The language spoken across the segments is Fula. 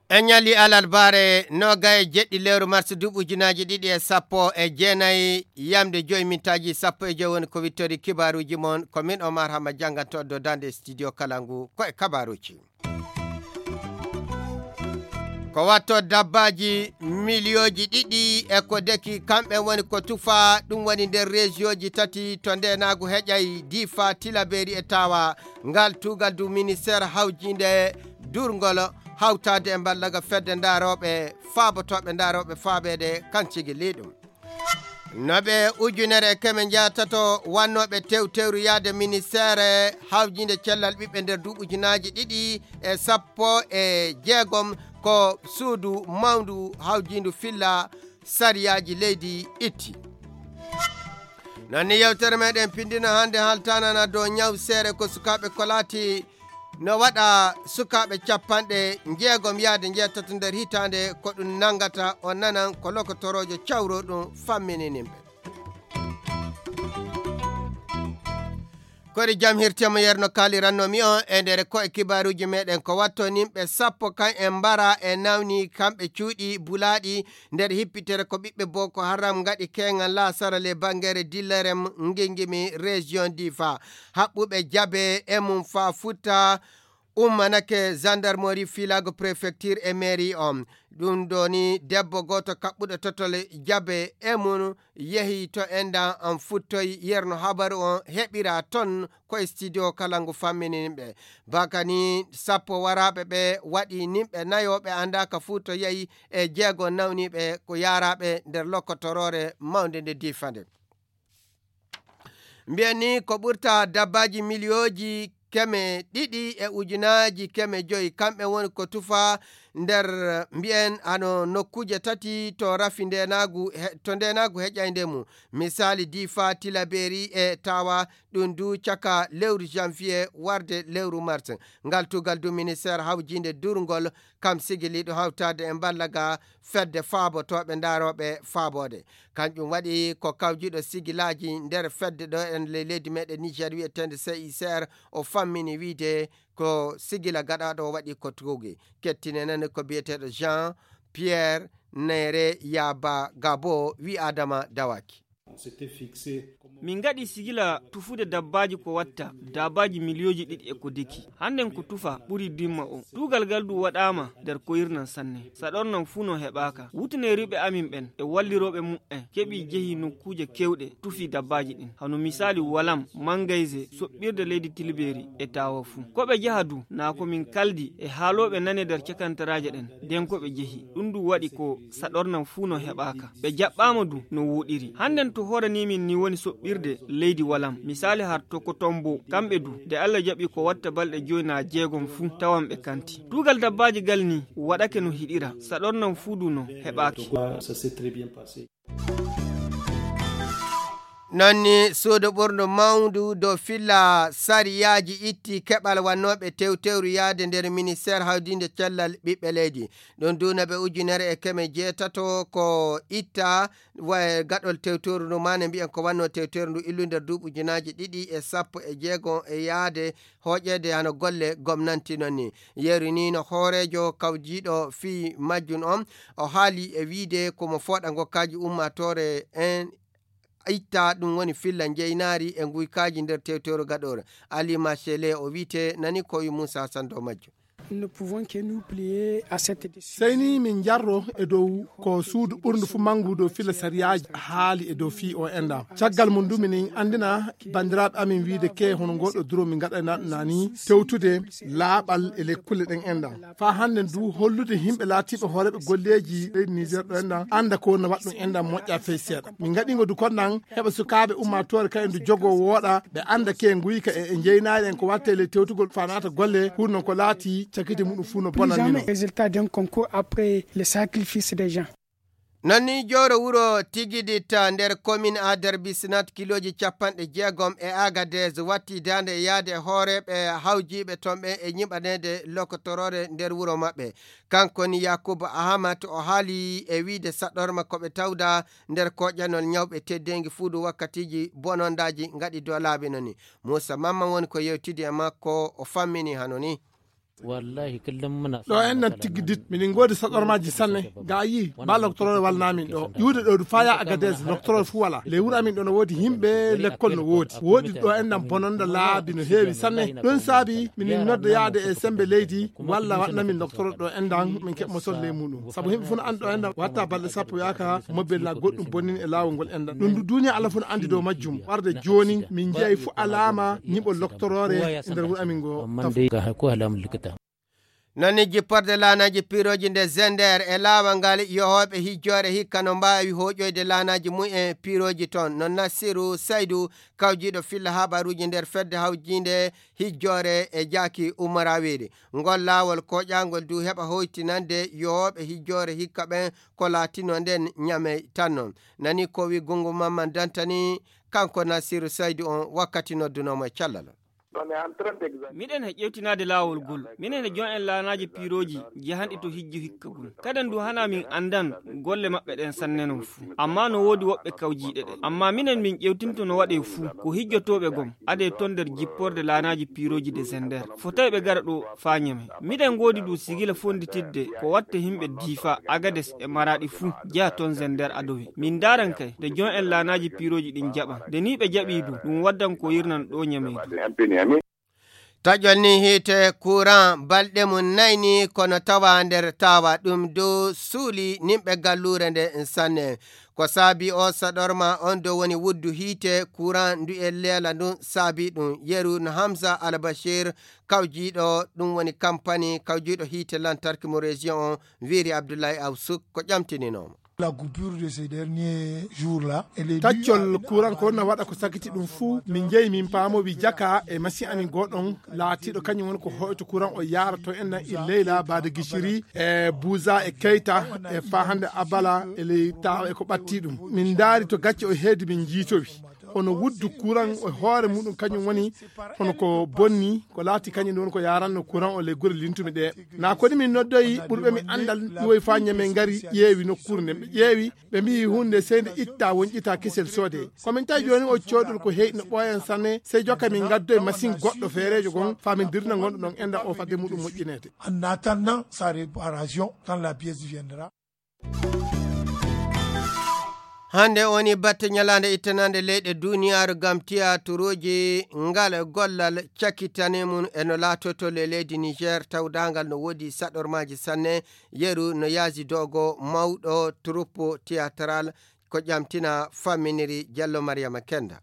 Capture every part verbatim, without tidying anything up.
En ñalli alarbaare noogaye jeɗɗi lewru mars duuɓi ujunaaji ɗiɗi e sappo e jeenayi, yamde joyi mintaaji sappo e joyi woni ko wittori kibaaruuji mon. Ko min Omar Hama jannganto dow daande studio kala ngu ko e kabaaruuji. Ko watto dabbaaji miliyooji ɗiɗi e ko deki, kamɓe woni ko tufa, ɗum woni nder rejiyooji tati to ndeenaagu heƴay, Difa, Tilaberi e Tawa. Ngal tuugal du ministeer hawjiinde durngol hawtaade e mballaga fedde ndaarooɓe faabotooɓe ndaarooɓe faabeede kan cigi liiɗum. No ɓe ujunere e keme njaatato wannooɓe tewtewru yaade ministeere hawjiinde cellal ɓiɓɓe nder duuɓi ujunaaji ɗiɗi e sappo e jeegom, ko suudu mawndu hawjiindu filla sariyaaji leydi itti. Noon ni yewtere meɗen pindino hannde haltanana dow ñaw seere ko sukaaɓe ko laati no waɗa sukaaɓe capanɗe njeegom yaade njeetato nder hitaande, ko ɗum nanngata o nanan ko lokotoroojo cawro ɗum famminini ɓe. Kori jam hirtemo yerno kaaliranno mi on e nder ko e kibaaruuji meɗen ko watto nimɓe sappo kan e mbara e nawni kamɓe cuuɗi bulaaɗi nder hippitere ko ɓiɓɓe Boko Haram ngaɗi keŋal laasara le bangere dillerem ngingimi région Difa. Haɓɓuɓe jabe e mum fa futta ummanake gendarmerie filago préfecture e mairie on. Ɗum ɗo ni debbo gooto kaɓɓuɗo totole jabe e mum yehi to endan on futtoyi yerno habaru on heɓira ton ko e studio kala ngu fammini nimɓe. Bakani sappo waraaɓe ɓe waɗi nimɓe nayo ɓe annda ka fuu to yehi e jeego nawniiɓe ko yaaraaɓe nder lokotoroore mawnde nde diifande. Mbiyen ni ko ɓurta dabbaaji miliyooji keme ɗiɗi e ujunaaji keme joyi kamɓe woni ko tufa nder mbiyen hano nokkuuje tati to rafi ndenaagu he- to ndenaagu heƴaynde mum. Misali difa tilaberi e tawa ɗum du caka lewru janvier warde lewru mars. Ngal tugal du ministère hawjinde durngol kam sigiliiɗo hawtaade e mballa ga fedde faabotooɓe ndarooɓe faaboode. Kanƴum waɗi ko kawjiiɗo sigilaaji nder fedde ɗo en ley leydi meɗen Niger wi'eteende C I C R o fammini wiide ko sigila gaɗaaɗo o waɗi ko tuugi. Kettine nani ko biyeteeɗo Jean Pierre Nere Yaba Gabo wi Adama Dawaki. Min ngaɗi sigila tufude dabbaaji ko watta daabaaji miliyooji ɗiɗi e ko deki. Hannden ko tufa ɓuri dimma o. Tuugal ngal du waɗaama nder koyirnan sanne. Saɗornan fuu no heɓaaka. Wutuneeriiɓe amin ɓen e wallirooɓe muɓɓen keɓi jehi nokkuuje keewɗe tufi dabbaaji ɗin. Hano misaali Walam, Mangayze, soɓɓirde leydi Tilbeeri e Taawa fuu. Ko ɓe jaha du naa ko min kaldi e haalooɓe nane nder cakantaraaje ɗen. Nden ko ɓe jehi. Ɗum du waɗi ko saɗornan fuu no heɓaaka. Ɓe jaɓɓaama du no wooɗiri. Hannden to hooranii min ni woni soɓɓirde leydi Walam. Misaali har to ko Tombo, kamɓe du, nde Alla jaɓi ko watta balɗe joy naa jeegom fuu tawan ɓe kanti. Tuugal dabbaaji gal ni waɗake no hiɗira, saɗornan fuu du no heɓaaki. Noon ni suudu ɓurndu mawndu dow filla sariyaaji itti keɓal wannooɓe tewtewru yahde nder ministeer hawdiinde cellal ɓiɓɓe leydi. Ɗum duunaɓe ujunere e keme jeetato ko itta wa gaɗol tewtewru ndu maane mbiyen ko wannoo tewtewru ndu illu nder duuɓi ujunaaji ɗiɗi e sappo e jeego e yahde hooƴeede hano golle gomnanti noon ni. Yeru ni no hooreejo kawjiiɗo fii majjum on o haali e wiide ko mo fooɗa ngokkaaji ummaatoore en itta ɗum woni filla njeynaari e nguykaaji nder tewtewro gaɗoore. Ali Machele o wiite nani ko wi Moussa Sando majjum. Sey ni min njarro e dow ko suudu ɓurndu fu manngu dow filla sariyaaji haali e dow fii o enɗam. Caggal mum du minin anndina banndiraaɓe amin wiide ke hono ngol ɗo duro min ngaɗayna ɗum naa ni tewtude laaɓal e lekkulle ɗen enɗam. Faa hannden du hollude yimɓe laatiiɓe hooreeɓe golleeji leydi Niger ɗo enɗam annda ko woni waɗ ɗum enɗam moƴƴa fey seeɗa. Min ngaɗi ngo du kon nan heɓa sukaaɓe ummaatoore kayen du jogoo wooɗa ɓe annda ke nguyka e e njeynaari en ko watte ley tewtugol faa naata golle hurno ko laati cakite muɗum fuu no bonannino. Résultat d'un concours après le sacrifice des gens. Noon ni jooro wuro Tigiditta nder komin Adarbi Sinat kilooji capanɗe jeegom e Agadez watti daande e yaade e hooreeɓe hawjiiɓe toon ɓe e ñiɓaneede lokotoroore nder wuro maɓɓe. Kanko ni Yakubu Ahamat o haali e wiide saɗorma ko ɓe tawda nder koƴanol ñawɓe teddeengi fuudu wakkatiiji bonondaaji ngaɗi dow laabi no ni. Muusa Mamman woni ko yewtidi e makko o fammini hano ni. Ɗo enɗan tigi dit miɗen ngoodi saɗormaaji sanne ga a yii ba loktoroore walnaamin ɗo ƴuude ɗo du faya agades loktoroore fuu wala ley wuro amin ɗo no woodi yimɓe lekkol no woodi woodi ɗo enɗan bononda laabi no heewi sanne. Ɗum saabi minin nodda yaade e sembe leydi walla waɗnamin loktoro ɗo enɗan min keɓ mosol ley muɗum sabu yimɓe fuu no anndi ɗo enɗan watta balɗe sappo yaaka mobel na goɗɗum bonnin e laawol ngol enɗan ɗum du duniya allah fuu no anndi dow majjum warde jooni min njeyi fuu alaama ñiɓol loktoroore e nder wuro amin ngo. Nani jipporde laanaaji piirooji nde Zender e laawol ngal yohooɓe hijjoore hikka no mbaawi hooƴoyde laanaaji mum en piirooji toon no Nassiru Saydu kawjiiɗo filla habaruuji nder fedde hawjiinde hijjoore e jaaki umarawiri ngol laawol koƴaangol du heɓa hoytinande yohooɓe hijjoore hikka ɓen ko laatino nden ñamey tan non. Nani ko wi gungu mamman dantani kanko Nassiru Saydu on wakkati noddunoomo e callal. Miɗen he ƴeewtinaade laawol gol. Minen he jon en laanaaji piirooji jahanɗi to hijju hikka gol. Kaden du hanaa min anndan golle maɓɓe ɗen sanne non fuu. Ammaa no woodi woɓɓe kawjiiɗe ɗe. Ammaa minen min ƴeewtinto no waɗee fuu ko hijjotooɓe gom adee ton nder jipporde laanaaji piirooji de Zender. Fotay ɓe gara ɗo faa ñame. Miɗen ngoodi du sigila fonnditidde ko watte yimɓe Diifa, Agades e Maraaɗi fuu jeya ton Zender adowi. Min ndaaran kay nde jon en laanaaji piirooji ɗin jaɓan. Nde nii ɓe jaɓii du ɗum waddan ko yirnan ɗo ñameydu. Taƴol ni hiite kuran balɗe mum nayni kono tawa nder tawa ɗum dow suuli nimɓe galluure nde sanne. Ko saabi o saɗorma on dow woni wuddu hiite kuran ndu e leela ndun saabi ɗum yeru no Hamza Albashir kawjiiɗo ɗum woni kampani kawjiiɗo hiite lantarki mo région on wiiri Abdullahi Awsuk ko ƴamtininomo. La coupure de ces derniers jours là. Taccol kuran ko wonna waɗa ko sakiti ɗum fuu min jeyi min paamowi jaka e machine amin goɗon laatiɗo kañum woni ko hoyto kuran o yaara to en nan il leyla bade gishiri e buza e keyta e fa hande abala e ley tawa e ko ɓatti ɗum min ndaari to gacce o heedi min jiitowi hono wuddu kuran o hoore muɗum kañum woni hono ko bonni ko laati kañum ɗon ko yaranno kuran o ley gure lintumi ɗe na koni min noddoyi ɓurɓe mi andal iwoy fa ñame ngari ƴeewi nokkure nden ɓe ƴeewi ɓe mbiyi hunde sey nde itta wonƴita kisel soode komin tawi joni o coodol ko heyɗino ɓooyan sanne sey jokka min gaddoye machine goɗɗo feerejo gon fa min dirna gonɗo ɗon enda o fadde muɗum moƴƴinede. En attendant sa réparation quand la pièce viendra. Hannde woni batte ñalaande ittanande leyɗe duniyaaru ngam tiyaturuuji ngal gollal cakitane mum e no laatoto le leydi Niger tawdaangal no woodi saɗormaaji sanne yeru no yaaji dogo mawɗo troupe théâtral ko ƴamtina famminiri Jallo Mariama Kenda.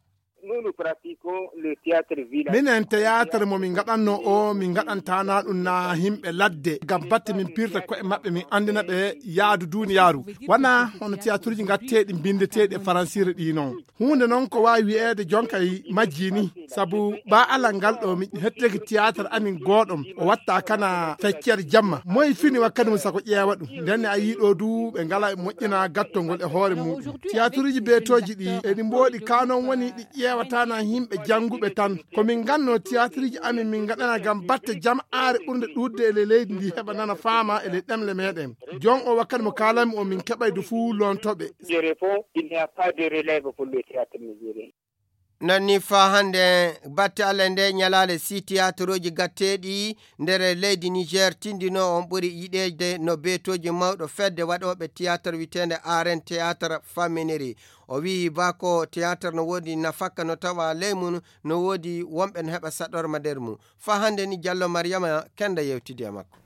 Minen théâtre mo min ngaɗanno o min ngaɗantana ɗum na himɓe ladde ngam batte min pirta ko'e maɓɓe min andina ɓe yaadu duniyaaru wona hono théâtreji ngatteɗi mbindeteɗi e faransire ɗi non hunde non ko wawi wi'ede jonkay majji ni sabu ba alal ngal ɗo mi hetteki théâtre amin goɗom o watta kana feccere jamma moy fini wakkati mum sako ƴeewa ɗum ndenne a yiɗo du ɓe ngala moƴƴina gattol ngol e hoore muɗum théâtreji beetoji ɗi eɗi mboɗi kanon woni ɗi ƴeewatana yimɓe jannguɓe tan. Ko min nganno tiyaatiriji amin min ngaɗana ngam batte jam'aare ɓurnde ɗuuɗde e ley leydi ndi heɓa nana faama e ley ɗemle meɗen. Jon o wakkati mo kaalanmi o min keɓaydu fuu lontooɓe. Nanni faa hannde batte Allah nde ñalaale si tiyaatirooji gatteeɗi nder leydi Niger tindino on ɓuri yiɗeede no beetooji mawɗo fedde waɗooɓe tiyaatar witeende Aren Théâtre Faminiri. O wiyi ba ko théâtre no woodi nafakka no tawa ley mum no woodi wonɓe no heɓa saɗorma nder mum. Faa hannde ni Jallo Mariama Kenda yewtidi e makko.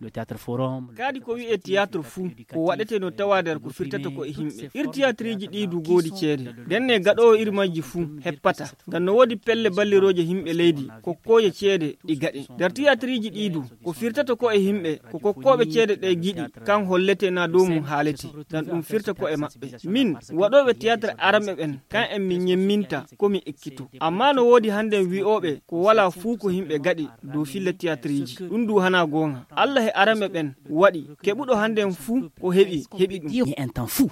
Kadi ko wi'e théâtre fuu ko waɗete no tawa nder ko firtata ko e himɓe. Ir théâtreji ɗi du goodi ceede. Ndenne gaɗoowo ir majji fuu heppata. Ngam no woodi pelle ballirooje himɓe leydi kokkooje ceede ɗi gaɗe. Nder théâtreji ɗi du ko firtata ko e himɓe ko kokkooɓe ceede ɗe giɗi kan hollete na dow mum haalete. Ngam ɗum firta ko e maɓɓe. Min waɗooɓe théâtre aranɓe ɓen kan en min ñemminta ko mi ekkito. Amma no woodi hannden wi'ooɓe ko walaa fuu ko himɓe gaɗi dow filla théâtreji. Ɗum du hanaa goonga. Allah e aranɓe ɓen waɗi keɓuɗo hannden fuu ko heɓi heɓi ɗum.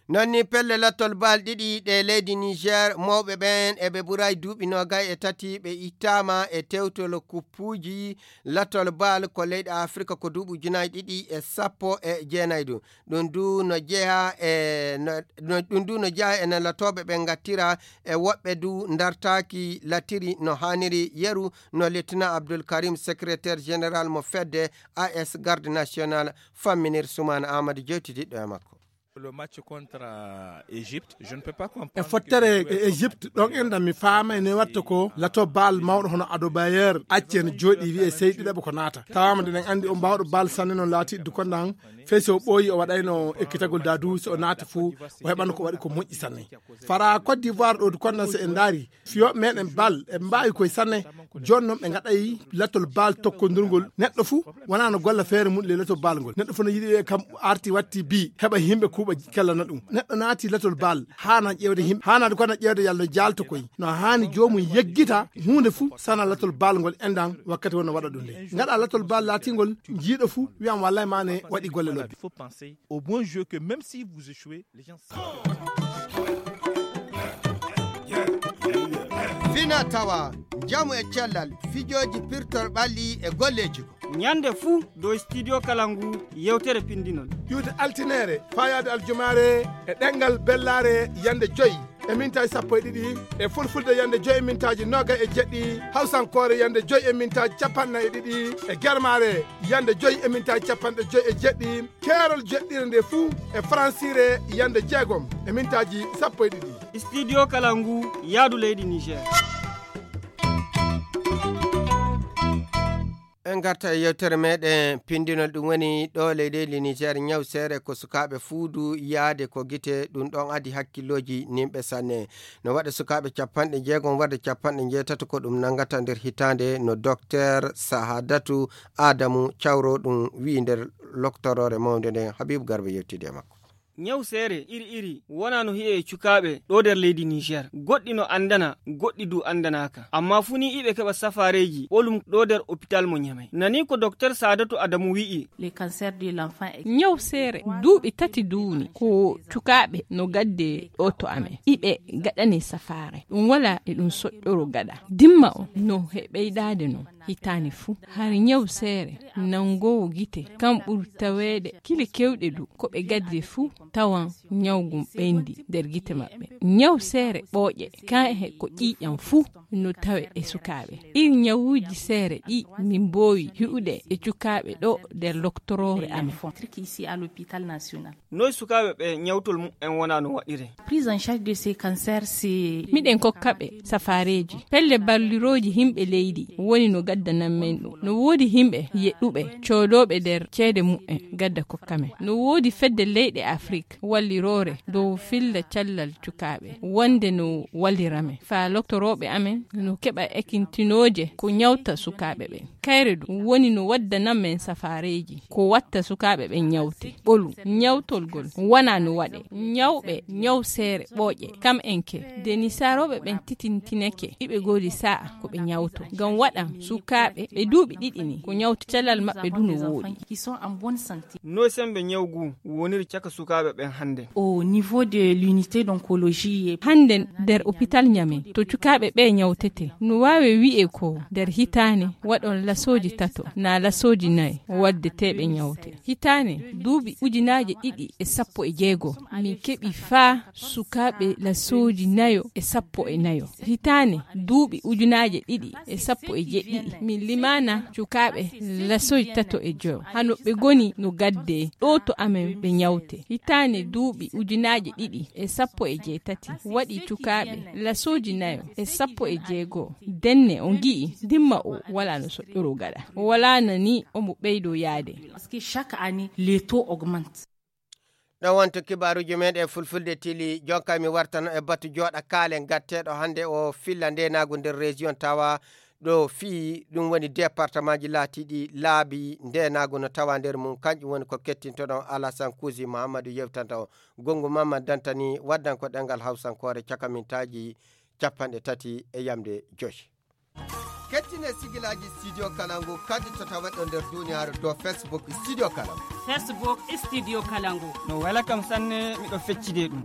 Noon ni pelle lattol baal ɗiɗi ɗe leydi Niger, mawɓe ɓeen eɓe ɓuray duuɓi noogay e tati, ɓe ittaama e tewtol kuppuuji lattol baal ko leyɗe Afrika ko duuɓi ujunaaji ɗiɗi e sappo e jeenayi ɗum. Ɗum du no jeyaa e no, no, ɗum du no jeyaa e no latooɓe ɓe ngattira e woɓɓe du ndartaaki latiri no haaniri yeru no Lieutenant Abdul Karim, secrétaire général mo fedde A S Garde Nationale, famminir Sumaana Amadou, jewtididɗo e makko. Le match contre, euh, Égypte, je ne peux pas comprendre. E fottere e Égypte ɗon enɗan mi faama ene watta ko lato bal mawɗo hono Adebayor acci en jooɗi wi'e sey ɗiɗaɓo ko naata. Tawaama ndeɗen anndi o mbawɗo bal sanne noon laati du konɗan fey so o ɓooyi o waɗayno ekkitagol dadu so o naati fuu o heɓano ko waɗi ko moƴƴi sanne. Fara Côte d'Ivoire ɗo du konɗan so en ndaari fiyooɓe meɗen bal e mbaawi koye sanne. Jooni noon ɓe ngaɗay latol bal tokkondirngol neɗɗo fuu wonaa no golla feere mum le latol bal ngol neɗɗo fuu no yiɗi wiye kam arti watti bi heɓa yimɓe kuuɓa kellana ɗum. Neɗɗo naati latol bal haana ƴeewde yimɓe haanaade kono ƴeewde yalla no jaalto koye no haani joomum yeggita huunde fuu sana latol bal ngol enɗan wakkati wonno waɗa ɗum nde ngaɗa latol bal laatingol jiiɗo fuu wiyam wallay mane waɗi golle lobbe. Au bon jeu que même si vous échouez, les gens. Fina tawa, njamu e cellal, fijooji pirtor ɓalli e golleeji ko. Ñande fuu dow studio kala ngu yewtere pindinol. Iwde altineere, faayaade aljumaare e ɗemngal bellaare yande joy e mintaaji sappo e ɗiɗi, e fulfulde yande joy e mintaaji nooga e jeɗɗi, hawsankoore yande joy e mintaaji capanɗe e ɗiɗi, e germaare yande joy e mintaaji capanɗe joy e jeɗɗi, keerol jeɗɗire nde fuu e faransiire yande jeegom e mintaaji sappo e ɗiɗi. Studio kala ngu yaadu leydi Niger. En ngarta e yewtere meɗen pindinol, ɗum woni ɗo leydi Niger ñaw seere ko sukaaɓe fuudu yaade ko gite, ɗum ɗon adi hakkillooji nimɓe sanne. No waɗa sukaaɓe capanɗe jeegom warde capanɗe jeetato ko ɗum nanngata nder hitaande no Doktor Sahadatu Adamu Cawro ɗum wi'i nder loktoroore mawnde nden. Habibu Garba yewtidi e makko. Ñaw seere iri iri wona no hi'e e cukaaɓe ɗo nder leydi Niger. Goɗɗi no anndana, goɗɗi du anndanaaka. Amma fuu ni iɓe keɓa safaareeji ɓolum ɗo nder opital mo Ñamey. Nani ko Doktor Sadatu Adamu wi'i. Le cancer de l'enfant est ñaw seere duuɓi tati duuni ko cukaaɓe no gadde ɗo to amen. Iɓe gaɗane safaare. Ɗum wala e ɗum soƴƴoro gaɗa. Dimma o no he ɓeydaade no. Hitaande fuu, har ñaw seere nanngoowo gite, kam ɓuri taweede kile keewɗe du, ko ɓe gadde fuu tawan ñaw ngun ɓeyndi nder gite maɓɓe. Ñaw seere ɓooƴe, kan he ko ƴiiƴam fuu no tawe e sukaaɓe. Iri ñawuuji seere ɗi min mboowi hi'ude e cukaaɓe ɗo nder loktoroore amen. Noy sukaaɓe ɓe ñawtol muɓɓen wona no waɗire? Prise en charge de ces cancers, c'est miɗen kokka ɓe safaareeji. Pelle ballirooji himɓe leydi woni no gaddanan men ɗum. No woodi himɓe yeɗɗuɓe, coodooɓe nder ceede muɓɓen gadda kokka men. No woodi fedde leyɗe Afrik walliroore dow filla callal cukaaɓe. Wonde no wallira men. Faa loktorooɓe amen no keɓa ekintinooje ko ñawta sukaaɓe ɓen. Kayre du woni no waddana men safaareeji ko watta sukaaɓe ɓen ñawte. Ɓolu, ñawtolgol wona no waɗe. Ñawɓe, ñaw seere, ɓooƴe, kam enke. De ni saarooɓe ɓen titintineke, iɓe goodi sa'a ko ɓe ñawto. Ngam waɗan sukaaɓe ɓe duuɓi ɗiɗi ni, ko ñawte calal maɓɓe du no wooɗi. Qui sont en bonne santé. No sembe ñaw ngu woniri caka sukaaɓe ɓen hannde? Au niveau de l'unité d'oncologie. Hannde nder opital Ñame, to cukaaɓe ɓe ñawtete, no waawe wi'e ko nder hitaane waɗon lasooji tato, naa lasooji nayo, waddeteeɓe ñawte. Hitaane, duuɓi ujunaaje ɗiɗi e sappo e jeego, min keɓi faa sukaaɓe lasooji nayo e sappo e nayo. Hitaane, duuɓi ujunaaje ɗiɗi e sappo e jeɗɗiɗi, min limaana cukaaɓe lasooji tato e joyo. Hano ɓe goni no gadde ɗo to amen ɓe ñawte. Hitaane duuɓi ujunaaje ɗiɗi e sappo e jeetati, waɗi cukaaɓe lasooji nayo e sappo e jeego. Denne on ngi'i dimma o wala no soƴƴoro gaɗa. Wala nani omo ɓeydo yaade. Parce que chaque année, les taux augmentent. Ɗo wonto kibaaruuji meɗen fulfulde tili. Jonka mi wartano e batu jooɗa kaalen gatteeɗo hannde o filla ndeenaagu nder région tawa ɗo fii ɗum woni département ji laatiiɗi laabi ndeenaagu no tawa nder mum. Kanƴum woni ko kettintoɗon Alasan Kuusi Muhammadu yewtanta o. Gonngu Mamman Dantani waddan ko ɗemngal Hawsankoore caka mintaaji capanɗe tati e yamde joy. Kettine sigilaaji Studio Kalangu kadi to taweɗo nder duniyaaru dow Facebook Studio Kalangu. Facebook Studio Kalangu. No wela kam sanne, miɗo feccide ɗum.